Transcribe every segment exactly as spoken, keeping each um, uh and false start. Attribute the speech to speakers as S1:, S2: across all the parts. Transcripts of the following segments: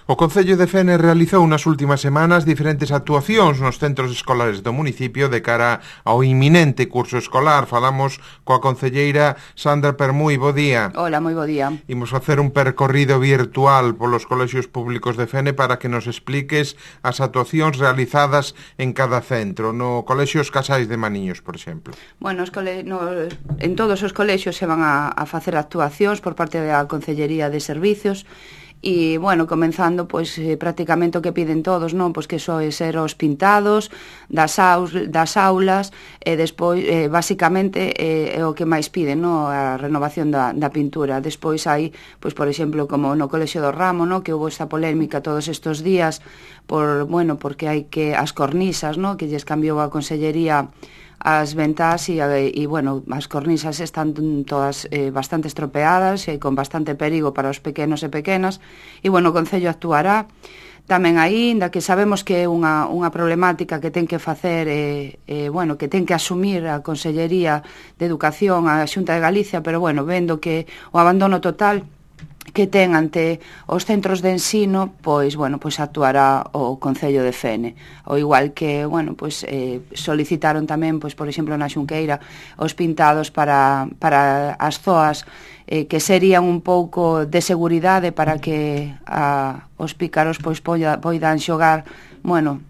S1: O Concello de Fene realizou nas últimas semanas diferentes actuacións nos centros escolares do municipio de cara ao inminente curso escolar. Falamos coa concelleira Sandra Permui. Bo día.
S2: Hola, moi bo día.
S1: Imos facer un percorrido virtual polos colexios públicos de Fene para que nos expliques as actuacións realizadas en cada centro. No colexio Os Casais de Maniños, por exemplo.
S2: Bueno, os cole... no, en todos os colexios se van a, a facer actuacións por parte da Concellería de Servicios. E, bueno, comenzando, pois, eh, prácticamente o que piden todos, non? Pois que soe ser os pintados das, aus, das aulas, e despois, eh, basicamente, eh, é o que máis piden, non? A renovación da, da pintura. Despois hai, pois, por exemplo, como no Colexio do Ramo, non? Que houve esta polémica todos estes días, por, bueno, porque hai que, as cornisas, non? Que lles cambiou a Consellería as ventás e, e, bueno, as cornisas están todas eh, bastante estropeadas e con bastante perigo para os pequenos e pequenas e, bueno, o Concello actuará tamén aí, inda que sabemos que é unha, unha problemática que ten que facer eh, eh, bueno, que ten que asumir a Consellería de Educación, a Xunta de Galicia, pero, bueno, vendo que o abandono total que ten ante os centros de ensino, pois, bueno, pois actuará o Concello de Fene. O igual que, bueno, pois eh, solicitaron tamén, pois, por exemplo, na Xunqueira, os pintados para, para as zoas eh, que serían un pouco de seguridade para que a, os pícaros, pois, poida, poidan xogar, bueno,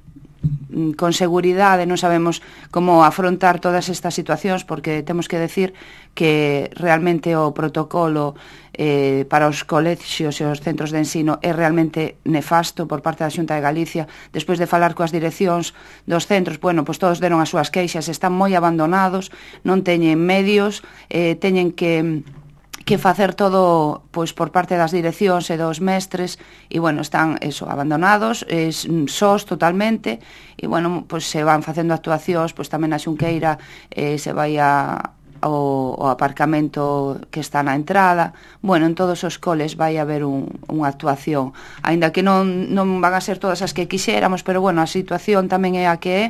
S2: con seguridade. Non sabemos como afrontar todas estas situacións porque temos que decir que realmente o protocolo eh, para os colexios e os centros de ensino é realmente nefasto por parte da Xunta de Galicia. Despois de falar coas direccións dos centros, bueno, pois todos deron as súas queixas, están moi abandonados, non teñen medios, eh, teñen que que facer todo, pois, por parte das direccións e dos mestres e, bueno, están, eso, abandonados, es, sós totalmente e, bueno, pois se van facendo actuacións, pois tamén a Xunqueira eh, se vai a O, o aparcamento que está na entrada. Bueno, en todos os coles vai haber un, unha actuación, aínda que non, non van a ser todas as que quixéramos, pero, bueno, a situación tamén é a que é.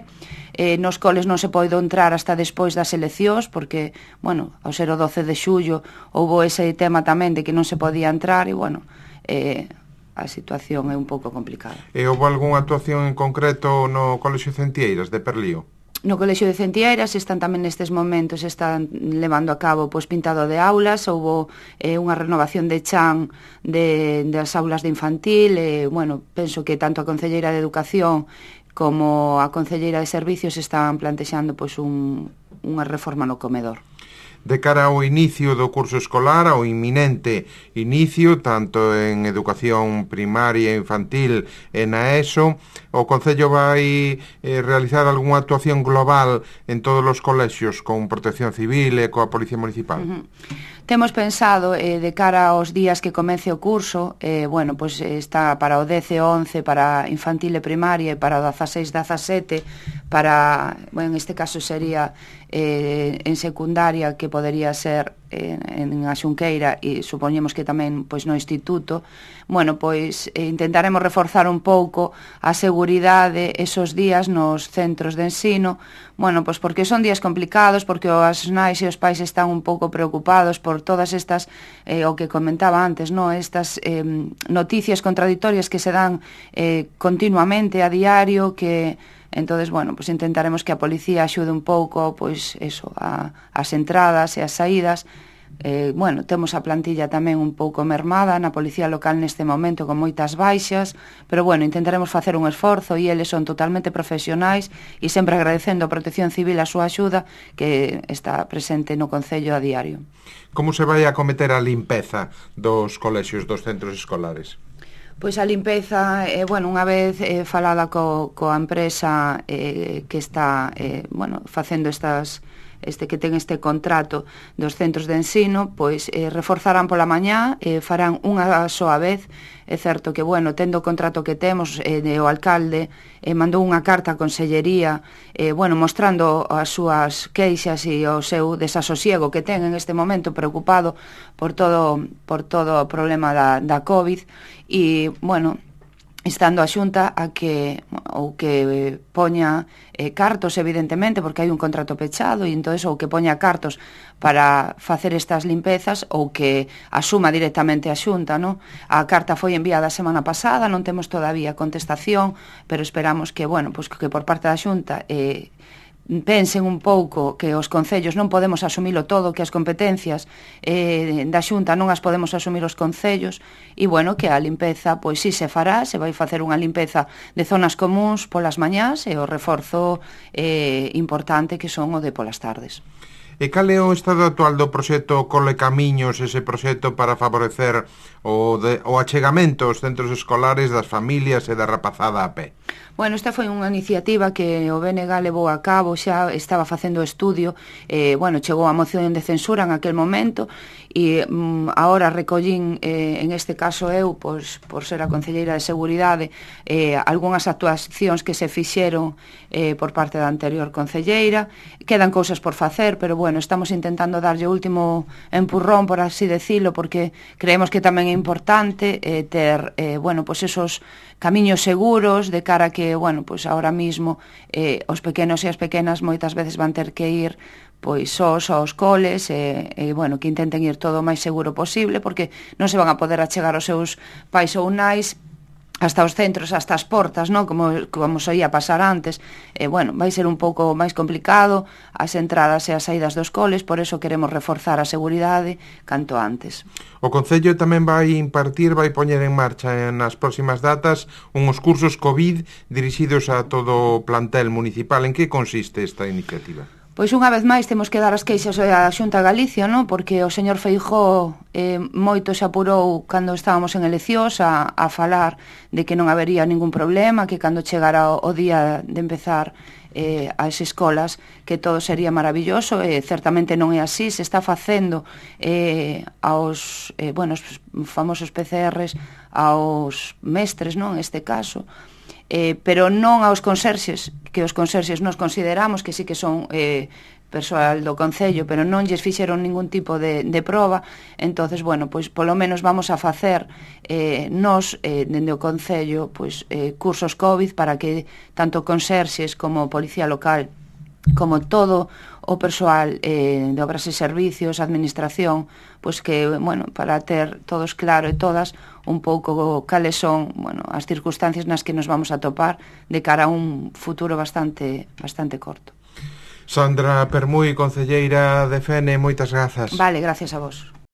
S2: Eh, nos coles non se pode entrar hasta despois das eleccións, porque, bueno, ao ser o doce de xullo houbo ese tema tamén de que non se podía entrar e, bueno, eh, a situación é un pouco complicada.
S1: E houve algunha actuación en concreto no Colexio Centieiras de Perlío?
S2: No Colexio de Centieiras están tamén nestes momentos están levando a cabo, pois, pintado de aulas, houbo eh, unha renovación de chan de, das aulas de infantil, e, bueno, penso que tanto a Concelleira de Educación como a Concelleira de Servicios están plantexando, pois, un, unha reforma no comedor.
S1: De cara ao inicio do curso escolar, ao inminente inicio, tanto en educación primaria, infantil e na ESO, o Concello vai eh, realizar algunha actuación global en todos os colexios con Protección Civil e coa Policía Municipal?
S2: Uh-huh. Temos pensado, eh, de cara aos días que comece o curso, eh, bueno, pois está para o dez e once, para infantil e primaria, e para o dezaseis e dezasete, para, bueno, en este caso sería eh, en secundaria, que podería ser en, en a Xunqueira, e supoñemos que tamén, pois, no instituto. Bueno, pois eh, intentaremos reforzar un pouco a seguridade esos días nos centros de ensino, bueno, pois porque son días complicados, porque as nais e os pais están un pouco preocupados por todas estas, eh, o que comentaba antes, no? Estas eh, noticias contradictorias que se dan eh, continuamente a diario, que entonces, bueno, pues intentaremos que a policía axude un pouco, pois, eso, a, as entradas e as saídas. Eh, bueno, temos a plantilla tamén un pouco mermada na policía local neste momento, con moitas baixas, pero, bueno, intentaremos facer un esforzo, e eles son totalmente profesionais, e sempre agradecendo a Protección Civil a súa axuda, que está presente no Concello a diario.
S1: Como se vai a acometer a limpeza dos colexios, dos centros escolares?
S2: Pois a limpeza, eh, bueno, unha vez eh, falada co, coa empresa eh, que está, eh, bueno, facendo estas, este que ten este contrato dos centros de ensino, pois eh, reforzarán pola mañá, eh, farán unha soa vez. É certo que, bueno, tendo o contrato que temos, eh, o alcalde eh, mandou unha carta á Consellería, eh, bueno, mostrando as súas queixas e o seu desasosiego que ten en este momento, preocupado por todo por todo o problema da, da COVID, e, bueno, estando a Xunta a que ou que poña eh, cartos, evidentemente, porque hai un contrato pechado, e entonces ou que poña cartos para facer estas limpezas ou que asuma directamente a Xunta, ¿no? A carta foi enviada a semana pasada, non temos todavía contestación, pero esperamos que, bueno, pues que por parte da Xunta eh, pensen un pouco que os concellos non podemos asumilo todo, que as competencias eh, da Xunta non as podemos asumir os concellos, e bueno, que a limpeza pois si se fará, se vai facer unha limpeza de zonas comuns polas mañás e o reforzo eh, importante que son o de polas tardes.
S1: E cal é o estado actual do proxecto Cole Camiños, ese proxecto para favorecer o, de, o achegamento aos centros escolares das familias e da rapazada a pé?
S2: Bueno, esta foi unha iniciativa que o B N G levou a cabo, xa estaba facendo estudio, eh, bueno, chegou a moción de censura en aquel momento, e mm, ahora recollín, eh, en este caso eu, pois, por ser a Concelleira de Seguridade, eh, algunhas actuacións que se fixeron eh, por parte da anterior Concelleira. Quedan cousas por facer, pero bueno, estamos intentando darlle o último empurrón, por así decirlo, porque creemos que tamén é importante eh, ter, eh, bueno, pois esos camiños seguros de cara a que, bueno, pois ahora mismo eh, os pequenos e as pequenas moitas veces van ter que ir pois sós aos coles e, e, bueno, que intenten ir todo o máis seguro posible, porque non se van a poder achegar aos seus pais ou nais hasta os centros, hasta as portas, non? Como, como soía pasar antes. E, bueno, vai ser un pouco máis complicado as entradas e as saídas dos coles, por eso queremos reforzar a seguridade canto antes.
S1: O Concello tamén vai impartir, vai poñer en marcha nas próximas datas uns cursos COVID dirixidos a todo o plantel municipal. En que consiste esta iniciativa?
S2: Pois unha vez máis temos que dar as queixas á Xunta de Galicia, non? Porque o señor Feijóo eh, moito se apurou cando estábamos en eleccións a, a falar de que non habería ningún problema, que cando chegara o, o día de empezar eh, as escolas que todo sería maravilloso, e certamente non é así. Se está facendo eh, aos eh, bueno, os famosos P C Rs aos mestres, non? En este caso, Eh, pero non aos conserxes, que os conserxes nos consideramos que sí que son eh, persoal do Concello, pero non lles fixeron ningún tipo de, de proba. Entonces, bueno, pois polo menos vamos a facer eh, nos, eh, dende o Concello, pois eh, cursos COVID para que tanto conserxes como policía local, como todo o persoal eh, de obras e servicios, administración, pois que, bueno, para ter todos claro e todas un pouco cales son, bueno, as circunstancias nas que nos vamos a topar de cara a un futuro bastante bastante corto.
S1: Sandra Permui, Concelleira de Fene, moitas grazas.
S2: Vale, gracias a vos.